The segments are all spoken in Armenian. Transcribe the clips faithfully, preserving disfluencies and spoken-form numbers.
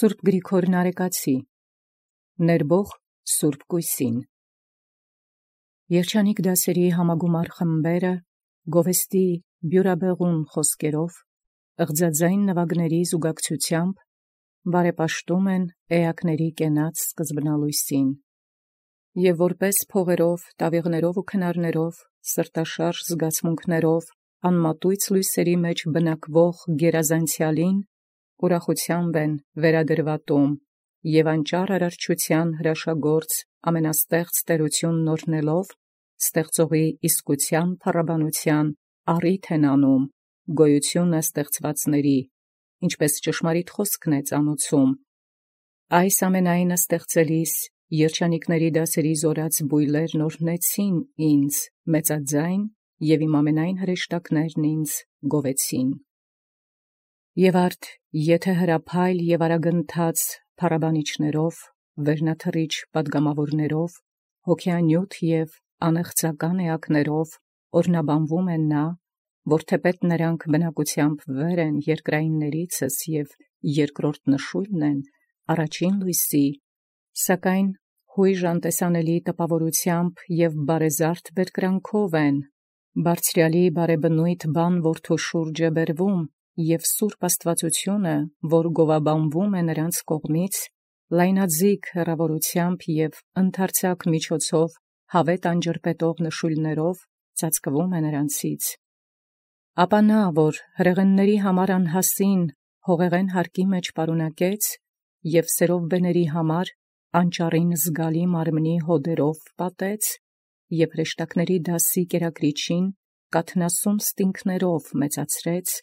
Սուրբ Գրիգոր Նարեկացի ներբող Սուրբ Կույսին Երջանիկ դասերի համագումար խմբերը գովեստի բյուրաբեղուն խոսքերով ըղձաձայն նվագների զուգակցությամբ բարեպաշտում են էակների կենաց սկզբնալույսին և որպես փողերով, տավիղներով ու քնարներով, սրտաշարժ զգացմունքներով անմատույց լույսերի մեջ բնակվող գերազանցյալին ուրախությամբ են վերադրվատում և անճար արարչության հրաշագործ ամենաստեղծ տերությունն օրհնելով ստեղծողի իսկության փառաբանության առիթ են անում գոյությունը ստեղծվածների, ինչպես ճշմարիտ խոսքն է ծանուցում. այս ամենայնը ստեղծելիս երջանիկների դասերի զորած բույլերն օրհնեցին ինձ մեծաձայն և իմ ամենայն հրեշտակներն ինձ գովեցին։ Եվ արդ եթե հրափայլ և արագընթաց փառաբանիչներով, վերնաթռիչ պատգամավորներով, հոգեանյութ և անեղծական էակներով օրհնաբանվում են նա, որ թեպետ նրանք բնակությամբ վեր են երկրայիններիցս և երկրորդ նշույլն են առաջին լույսի, սակայն հույժ անտեսանելի տպավորությամբ և բարեզարդ բերկրանքով են բարձրյալի բարեբնույթ բան որդու շուրջը բերվում, և սուրբ աստվածությունը, որ գովաբանվում է նրանց կողմից, լայնաձիգ հեռավորությամբ և ընդարձակ միջոցով հավետ անջրպետող նշույլներով ծածկվում է նրանցից։ Ապա նա, որ հրեղենների համար անհասին հողեղեն հարկի մեջ պարունակեց և սերովբեների համար անճառին զգալի մարմնի հոդերով պատեց և հրեշտակների դասի կերակրիչին կաթնասուն ստինգներով մեծացրեց,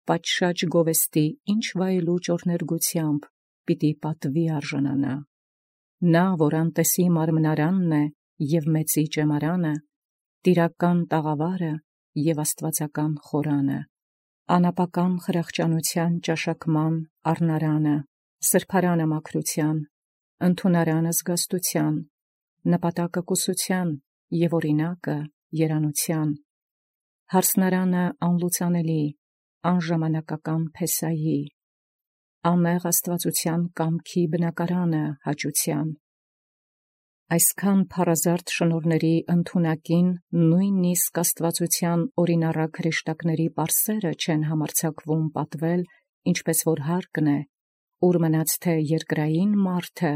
պատշաճ գովեստի ինչ վայելուչ օրհներգությամբ պիտի պատվի արժանանա։ Նա, որ անտեսի մարմնարանն է և մեծի ճեմարանը, տիրական տաղավարը և աստվածական խորանը, անապական խրախճանության ճաշակման առնարանը, սրբարանը մաքրության, ընդունարանը զգաստության, նպատակը կուսության և օրինակը երանության, հարսնարանը անլուծանելի, անժամանակական փեսայի, ամեղ աստվածության կամքի բնակարանը հաճության։ Այսքան փառազարդ շնորհների ընդունակին նույնիսկ աստվածության օրինառակ հրեշտակների պարսերը չեն համարձակվում պատվել, ինչպես որ հարկն է, ուր մնաց թե երկրային մարդը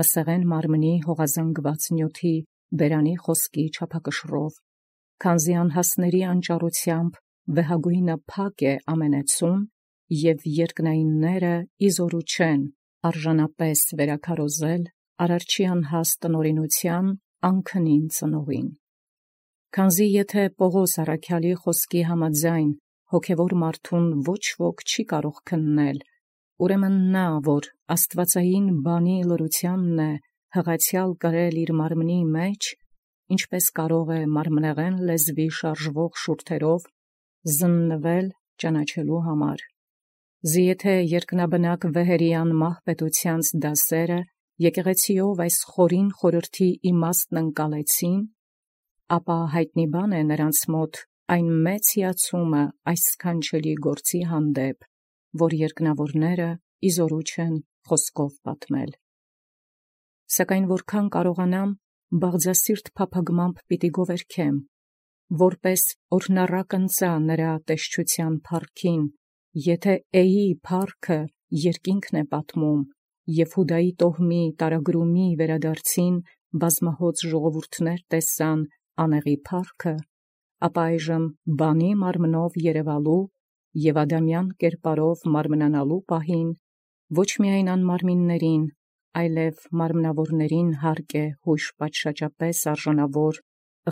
մսեղեն մարմնի հողազանգված նյութի բերանի խոսքի չափակշռով, քանզի անհասների անճառությամբ վեհագույնը փակ է ամենեցուն, և երկնայինները իզորու չեն արժանապես վերաքարոզել արարչի անհաստ տնօրինության անքնին ծնողին։ Քանզի եթե Պողոս առաքյալի խոսքի համաձայն հոգևոր մարդուն ոչ ոք չի կարող քննել, ուրեմն նա, որ աստվածային բանի լրությանն է հղացյալ կրել իր մարմնի մեջ, ինչպես կարող է մարմնեղեն լեզվի շարժվող շուրթերով զննվել ճանաչելու համար։ Զի եթե երկնաբնակ վեհերի անմահ պետութեանց դասերը եկեղեցիով այս խորին խորհրդի իմաստն ընկալեցին, ապա հայտնի բան է նրանց մոտ այն մեծ հիացումը այս սքանչելի գործի հանդեպ, որ երկնավորները իզորու չեն խոսքով պատմել։ Սակայն որքան կարողանամ, բաղձասիրտ փափագմամբ պիտի գովերգեմ, որպես օրհնառակ ընծա նրա տեսչության փառքին, եթե էի փառքը երկինքն է պատմում, և Հուդայի տոհմի տարագրումի վերադարձին բազմահոծ ժողովուրդներ տեսան անեղի փառքը, ապա այժմ բանի մարմնով երևալու և ադամյան կերպարով մարմնանալու պահին ոչ միայն անմարմիններին, այլև մարմնավորներին հարկ է հույժ պատշաճապես արժանավոր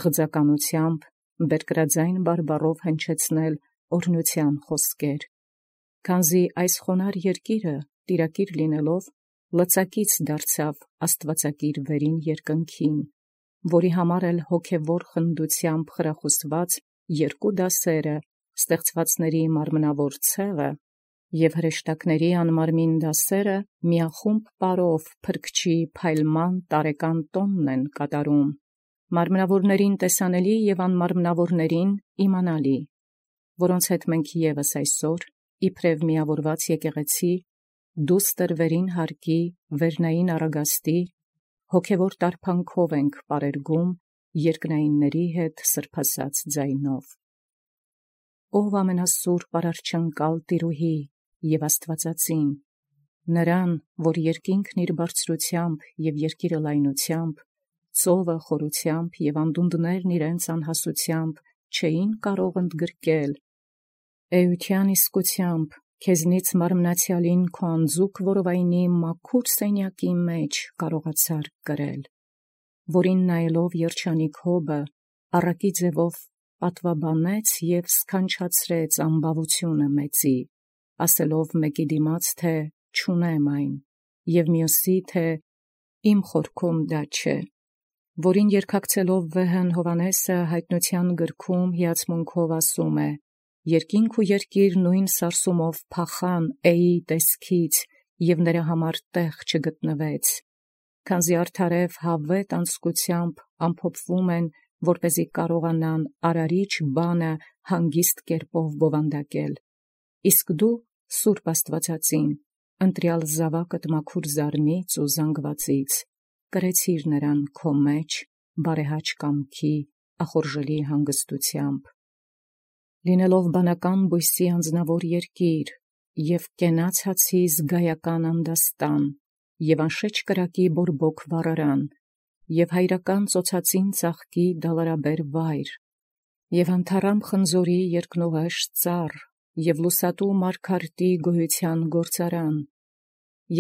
ըղձականությամբ բերկրաձայն բարբառով հնչեցնել օրհնության խոսքեր, քանզի այս խոնարհ երկիրը տիրակիր լինելով լծակից դարձավ աստվածակիր վերին երկնքին, որի համար էլ հոգևոր խնդությամբ խրախուսված երկու դասերը ստեղծվածների մարմնավոր ցեղը և հրեշտակների անմարմին դասերը միախումբ պարով փրկչի փայլման տարեկան տոնն են կատարում, մարմնավորներին տեսանելի և անմարմնավորներին իմանալի, որոնց հետ մենք ևս այսօր իբրև միավորված եկեղեցի դուստր վերին հարկի, վերնային արագաստի, հոգևոր տարփանքով ենք պարերգում երկնայինների հետ սրբասած ձայնով։ Ով ամենասուրբ արարչանկալ տիրուհի և աստվածածին, նրան, որ երկինքն իր բարձրությամբ և երկիրը լայնությամբ, ծովը խորությամբ և անդունդներն իրենց անհասությամբ չէին կարող ընդգրկել, էության իսկությամբ քեզնից մարմնացյալին քո անձուկ որովայնի մաքուր սենյակի մեջ կարողացար կրել, որին նայելով երջանիկ Հոբը առակի ձևով պատվաբանեց և սքանչացրեց ամբավությունը մեծի, ասելով մեկի դիմաց, թե չունեմ այն, և մյուսի, թե իմ խորքում դա չէ, որին երկակցելով վեհն Հովհաննեսը հայտնության գրքում հիացմունքով ասում է. երկինք ու երկիր նույն սարսումով փախան Էի տեսքից, և նրա համար տեղ չգտնվեց, քանզի արդարև հավետ անձկությամբ ամփոփվում են, որպեսզի կարողանան արարիչ բանը հանգիստ կերպով բովանդակել, իսկ դու, Սուրբ Աստվածածին, ընտրյալ զավակդ մաքուր զարմից ու զանգվածից, կրեցիր նրան քո մեջ բարեհաճ կամքի ախորժելի հանգստությամբ, լինելով բանական բույսի անձնավոր երկիր և կենաց հացի զգայական անդաստան և անշեչ կրակի բորբոք վառարան և հայրական ծոցածին ծաղկի դալարաբեր վայր և անթառամ խնձորի երկնուղեշ ծառ և լուսատու մարգարտի գոյության գործարան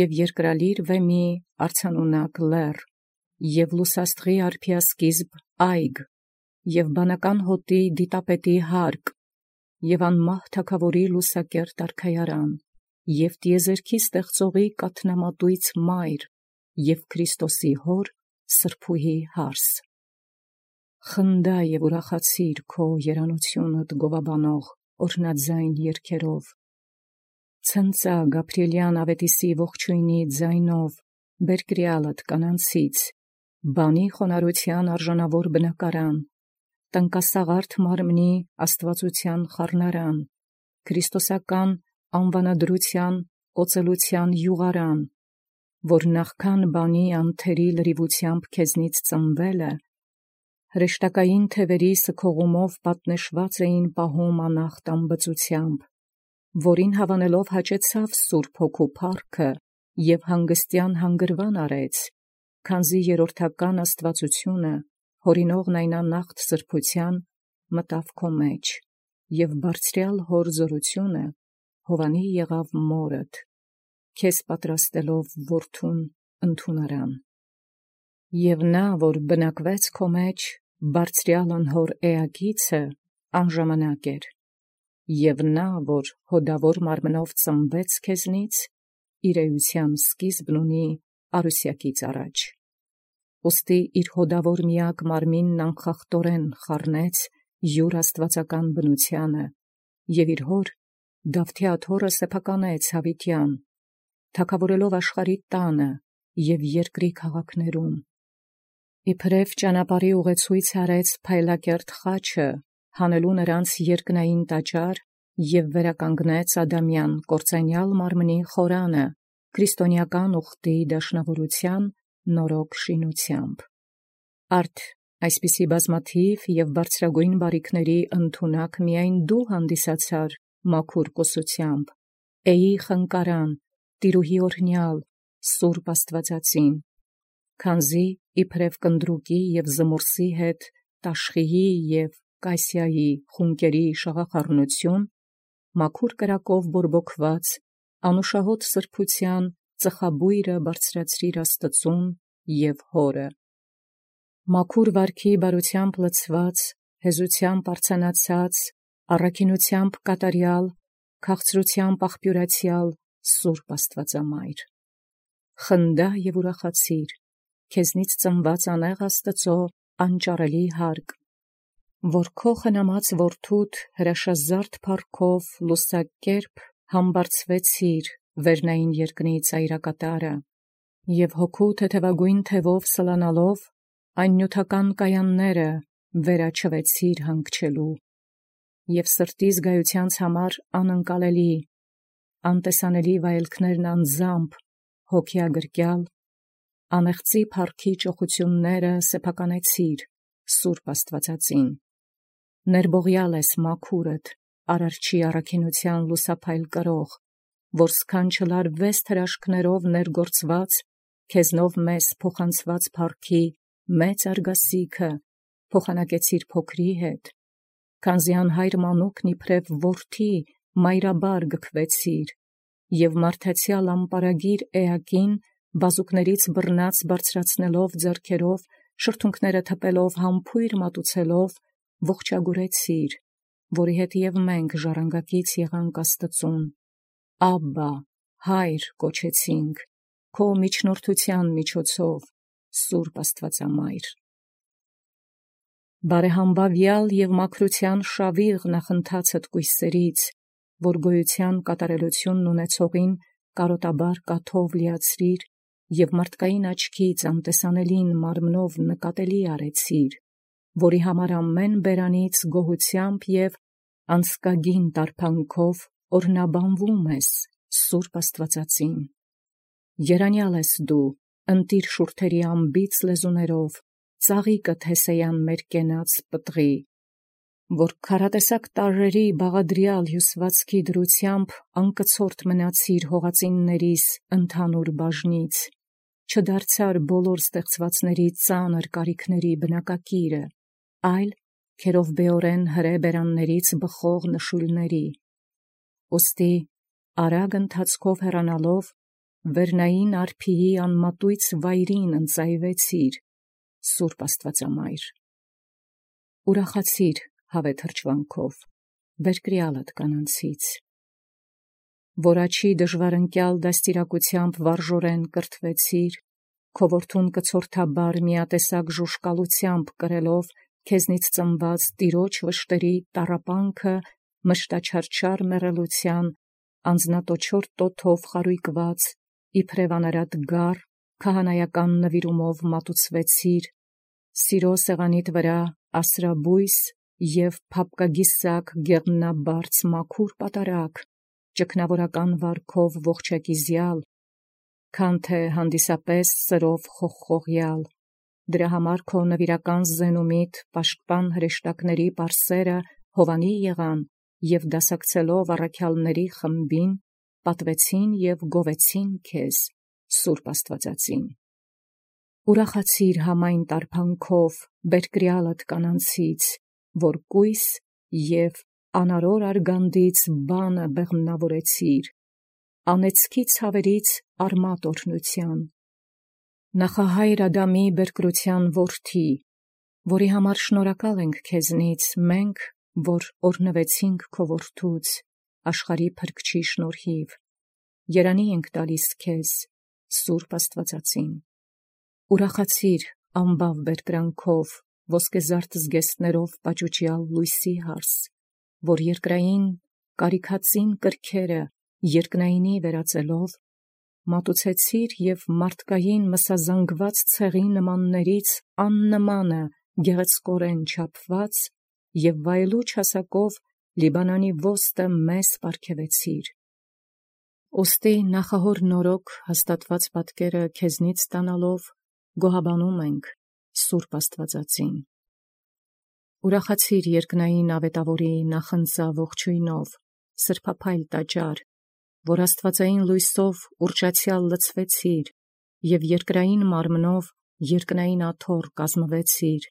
և երկրալիր վեմի արձանունակ լեռ և լուսաստղի արբիասկիզբ այգ և բանական հոտի դիտապետի հարկ և անմահ թագավորի լուսակերտ արքայարան և տիեզերքի ստեղծողի կաթնամատույց մայր և Քրիստոսի հոր սրբուհի հարս, խնդա և ուրախացիր քո երանությունդ գովաբանող օրհնաձայն երգերով, ցնծա Գաբրիելյան ավետիսի ողջույնի ձայնով բերկրյալդ կանանցից, բանի խոնարհության արժանավոր բնակարան, տնկասաղարթ մարմնի աստվածության խառնարան, քրիստոսական անվանադրության օծելության յուղարան, որ նախքան բանի անթերի լրիվությամբ քեզնից ծնվելը, հրեշտակային թևերի սքողումով պատնեշված էին պահում անախտ ամբծությամբ, որին հավանելով հաճեցավ Սուրբ Հոգու փառքը և հանգստյան հանգրվան արեց, քանզի երրորդական աստվածությունը, հորինողն այն անախտ սրբության, մտավ քո մեջ, և բարձրյալ հոր զորությունը հովանի եղավ մորդ, քեզ պատրաստելով որդուն ընդունարան։ Եվ նա, որ բնակվեց քո մեջ, բարձրյալ անհոր էակիցը, անժամանակ էր, և նա, որ հոդավոր մարմնով ծնվեց քեզնից, իր էության սկիզբն ունի արուսյակից առաջ, ուստի իր հոդավոր միակ մարմինն անխախտորեն խառնեց յուր աստվածական բնությանը և իր հոր Դավթի աթոռը սեփականեց հավիտյան, թագավորելով աշխարհի տանը և երկրի քաղաքներում, իբրև ճանապարհի ուղեցույց արեց փայլակերտ խաչը, հանելու նրանց երկնային տաճար և վերականգնեց Ադամյան կործանյալ մարմնի խորանը քրիստոնեական ուխտի դաշնավորության նորոգ շինությամբ։ Արդ այսպիսի բազմաթիվ և բարձրագույն բարիքների ընդունակ միայն դու հանդիսացար մաքուր կուսությամբ, Էի խնկարան, տիրուհի օրհնյալ, Սուրբ Աստվածածին, քանզի իբրև կնդրուկի և զմուրսի հետ տաշխիի և կասիայի խունկերի շաղախառնություն, մաքուր կրակով բորբոքված, անուշահոտ սրբության ծխաբույրը բարձրացրիր Աստծուն և Հորը, մաքուր վարքի բարությամբ լցված, հեզությամբ արձանացած, առաքինությամբ կատարյալ, քաղցրությամբ աղբյուրացյալ Սուրբ Աստվածամայր, խնդա և ուրախացիր, քեզնից ծնված անեղ Աստծո անճարելի հարկ, որ քո խնամած որդուդ հրաշազարդ փառքով լուսակերպ համբարձվեցիր վերնային երկնի ծայրակատարը և հոգու թեթևագույն թևով սլանալով այն նյութական կայանները վերաչվեցիր հանգչելու և սրտի զգայությանց համար անընկալելի, անտեսանելի վայելքներն անձամբ, հոգիագրկյալ, անեղծի փառքի ճոխությունները սեփականեցիր, Սուրբ Աստվածածին, ներբողյալ ես մաքուրդ, արարչի առաքինության լուսափայլ կրող, որ սքանչլար վեստ հրաշքներով ներգործված, քեզնով մեզ փոխանցված փառքի մեծ արգասիքը, փոխանակեցիր փոքրի հետ, քանզի անհայր մանուկն իբրև որդի մայրաբար գքվեցիր, և մարդացյալ ամպարագիր էակին բազուկներից բռնած բարձրացնելով ձեռքերով, շրթունքները թպելով համբույր մատուցելով, ողջագուրեցիր, որի հետ և մենք ժառանգակից եղանք Աստծուն, Աբբա, Հայր կոչեցինք, քո միջնորդության միջոցով, Սուրբ Աստվածամայր։ Բարեհամբավյալ և մաքրության շավիղ նախընթացդ կույսերից, որ գոյության կատարելությունն ունեցողին կարոտաբար կաթով լիացրիր և մարդկային աչքից անտեսանելին մարմնով նկատելի արեցիր, որի համար ամեն բերանից գոհությամբ և անձկագին տարբանքով օրհնաբանվում ես, Սուրբ Աստվածածին։ Երանյալ ես դու, ընտիր շուրթերի անբիծ լեզուներով, ծաղիկդ հեսեյան մեր կենաց պտղի, որ քառատեսակ տարրերի բաղադրյալ հյուսվածքի դրությամբ անկցորդ մնացիր հողածիններիս ընդհանուր բաժնից, չդարձար բոլոր ստեղծվածների ծանր կարիքների բնակակիրը, այլ քերովբեորեն հրե բերաններից բխող նշույլների, ուստի արագ ընթացքով հեռանալով վերնային արփիի անմատույց վայրին ընծայվեցիր, Սուրբ Աստվածամայր։ Ուրախացիր հավե թրջվանքով, բերկրյալդ կանանցից, որ աչի դժվարընկյալ դաստիարակությամբ վարժորեն կրթվեցիր, քո որդուն կցորդաբար միատեսակ ժուժկալությամբ կրելով քեզնից ծնված տիրոջ վշտերի տառապանքը մշտաչարչար մեռելության անձնատոչոր տոթով խարույկված, իբրև անարատ գառ, քահանայական նվիրումով մատուցվեցիր, սիրո սեղանիդ վրա ասրաբույս և փափկագիսակ գեղնաբարձ մաքուր պատարագ, ճգնավորական վարքով ողջակիզյալ, քան թե հանդիսապես սրով խողխողյալ, դրա համար քո նվիրական զենումիդ պաշտպան հրեշտակների պարսերը հովանի եղան և դասակցելով առաքյալների խմբին, պատվեցին և գովեցին քեզ, Սուրբ Աստվածածին։ Ուրախացիր համայն տարբանքով, բերկրյալդ կանանցից, որ կույս և անարոր արգանդից բանը բեղմնավորեցիր, անեծքի ցավերից արմատ օրհնության, նախահայր Ադամի բերկրության որդի, որի համար շնորհակալ ենք քեզնից մենք, որ օրհնվեցինք քո որդուց, աշխարհի փրկչի շնորհիվ, երանի ենք տալիս քեզ, Սուրբ Աստվածածին։ Ուրախացիր ամբավ բերկրանքով, ոսկեզարդ զգեստներով պաճուճյալ լույսի հարս, որ երկրային կարիքածին կրքերը երկնայինի վերածելով, մատուցեցիր և մարդկային մսազանգված ցեղի նմաններից աննմանը գեղեցկորեն չափված և վայելուչ հասակով Լիբանանի ոստը մեզ պարգևեցիր։ Ուստի նախահոր նորոգ հաստատված պատկերը քեզնից ստանալով գոհաբանում ենք, Սուրբ Աստվածածին։ Ուրախացիր երկնային ավետավորի նախընծա ողջույնով, սրբափայլ տաճար, որ աստվածային լույսով ուռճացյալ լցվեցիր և երկրային մարմնով երկնային աթոռ կազմվեցիր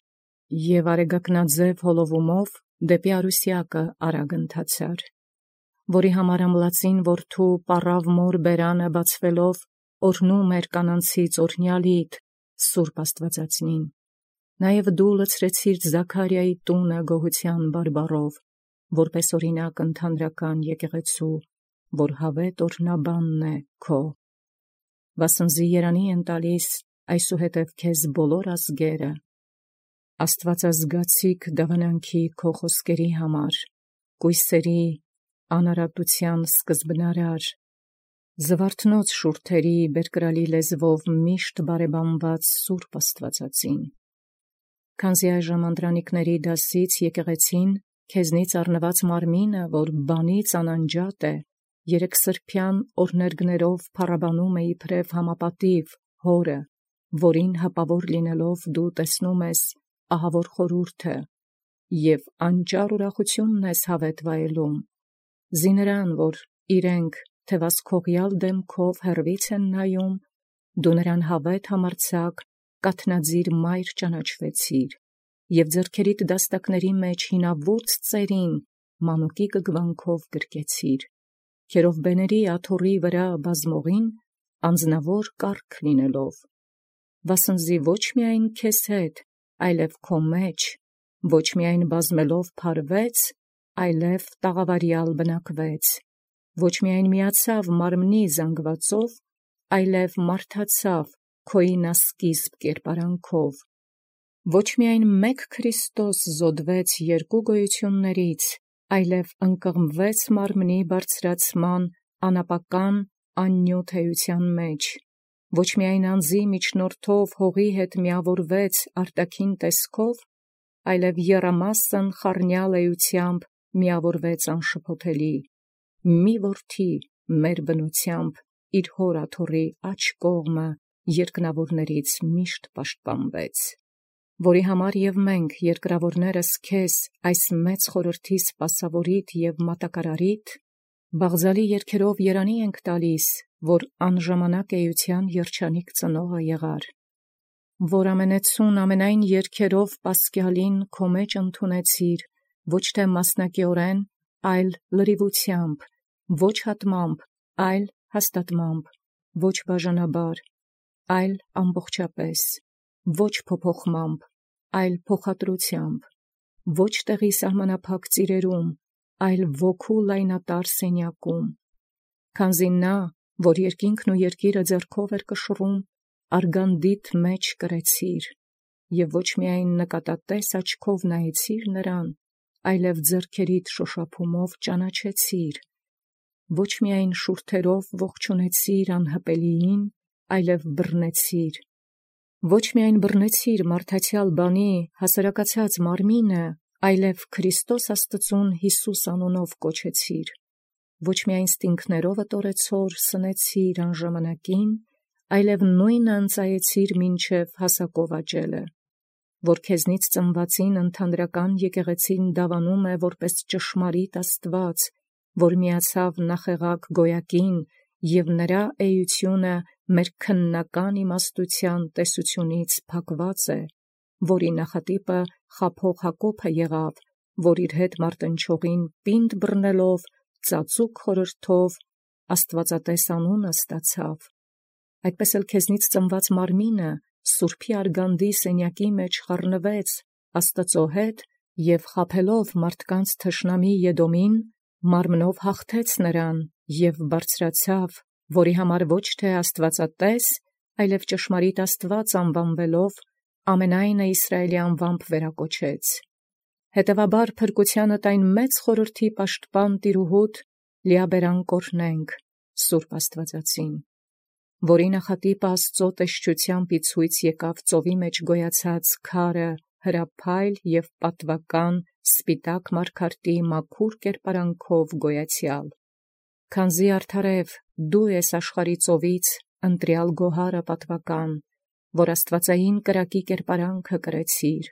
և արեգակնաձև հոլովումով դեպի Արուսյակը արագ ընթացար, որի համար ամլացին որդու պառավ մոր բերանը բացվելով օրհնում էր կանանցից օրհնյալիդ, Սուրբ Աստվածածնին, նաև դու լցրեցիր Զաքարիայի տունը գոհության բարբառով, որպես օրինակ ընդհանրական եկեղեցու, որ հավետ օրհնաբանն է քո, վասնզի երանի են տալիս այսուհետև քեզ բոլոր ազգերը, աստվածազգացիկ դավանանքի քո խոսքերի համար, կույսերի անարատության սկզբնարար, զվարթնոց շուրթերի բերկրալի լեզվով միշտ բարեբանված Սուրբ Աստվածածին, քանզի այժմ անդրանիկների դասից եկեղեցին քեզնից առնված մարմինը, որ բանից անանջատ է երեք սրբյան օրներգներով փառաբանում է իբրև համապատիվ հորը, որին հպավոր լինելով դու տեսնում ես ահավոր խորհուրդը, և անճար ուրախությունն ես հավետ վայելում, զիներան, որ իրենք թևասքողյալ դեմքով հեռվից են նայում, դու նրան հավետ համարձակ կաթնածիր մայր ճանաչվեցիր, և ձեռքերիդ դաստակների մեջ հինավուրց ծերին մանուկի գգվանքով գրկեցիր, քերովբեների աթոռի վրա բազմողին անձնավոր կարգ լինելով, վասնզի ոչ միայն քեզ հետ, այլև քո մեջ, ոչ միայն բազմելով փարվեց, այլև տաղավարյալ բնակվեց, ոչ միայն միացավ մարմնի զանգվածով, այլև մարդացավ քոյինասկիզբ կերպարանքով, ոչ միայն մեկ Քրիստոս զոդվեց երկու գոյություններից, այլև ընկղմվեց մարմնի բարձրացման անապական աննյութ էության մեջ, ոչ միայն անձի միջնորդով հողի հետ միավորվեց արտաքին տեսքով, այլև եռամասն խառնյալ էությամբ միավորվեց անշփոթելի, մի որդի մեր բնությամբ իր հոր աթոռի աջ կողմը երկնավորներից միշտ պաշտպանվեց, որի համար և մենք երկրավորներս քեզ այս մեծ խորհրդի սպասավորիդ և մատակարարիդ, բաղձալի երգերով երանի ենք տալիս, որ անժամանակ էության երջանիկ ծնողը եղար, որ ամենեցուն ամենայն երգերով պասկյալին քո մեջ ընդունեցիր, ոչ թե մասնակիորեն, այլ լրիվությամբ, ոչ հատմամբ, այլ հաստատմամբ, ոչ բաժանաբար, այլ ամբողջապես, ոչ փոփոխմամբ, այլ փոխադրությամբ, ոչ տեղի սահմանափակ ծիրերում, այլ ոգու լայնատար սենյակում, քանզի նա, որ երկինքն ու երկիրը ձեռքով էր կշռում, արգանդիդ մեջ կրեցիր, և ոչ միայն նկատատես աչքով նայեցիր նրան, այլև ձեռքերիդ շոշափումով ճանաչեցիր, ոչ միայն շուրթերով ողջունեցիր անհպելիին, այլև բռնեցիր, ոչ միայն բռնեցիր մարդացյալ բանի հասարակացած մարմինը, այլև Քրիստոս Աստծուն Յիսուս անունով կոչեցիր, ոչ միայն ստինքներով ըտորեցոր սնեցիր անժամանակին, այլև նույնը ընծայեցիր մինչև հասակով աճելը, որ քեզնից ծնվածին ընդհանրական եկեղեցին դավանում է որպես ճշմարիտ Աստված, որ միացավ նախեղակ գոյակին, և նրա էությունը մեր քննական իմաստության տեսությունից փակված է, որի նախատիպը խաբող Հակոբը եղավ, որ իր հետ մարտնչողին պինդ բռնելով, ծածուկ խորհրդով աստվածատես անունը ստացավ, այդպես էլ քեզնից ծնված մարմինը սուրբի արգանդի սենյակի մեջ խառնվեց Աստծո հետ և խաբելով մարդկանց թշնամի Եդոմին, մարմնով հաղթեց նրան և բարձրացավ, որի համար ոչ թե աստվածատես, այլև ճշմարիտ Աստված անվանվելով, ամենայնը Իսրայելի անվամբ վերակոչեց։ Հետևաբար փրկությանդ այն մեծ խորհրդի պաշտպան տիրուհուդ լիաբերան կօրհնենք Սուրբ Աստվածածին, որի նախատիպը Աստծո տեսչությամբ ի ցույց եկավ ծովի մեջ գոյացած քարը հրափայլ և պատվական սպիտակ մարգարտի մաքուր կերպարանքով գոյացյալ, քանզի արդարև դու ես աշխարհի ծովից ընտրյալ գոհարը պատվական, որ աստվածային կրակի կերպարանքը կրեցիր,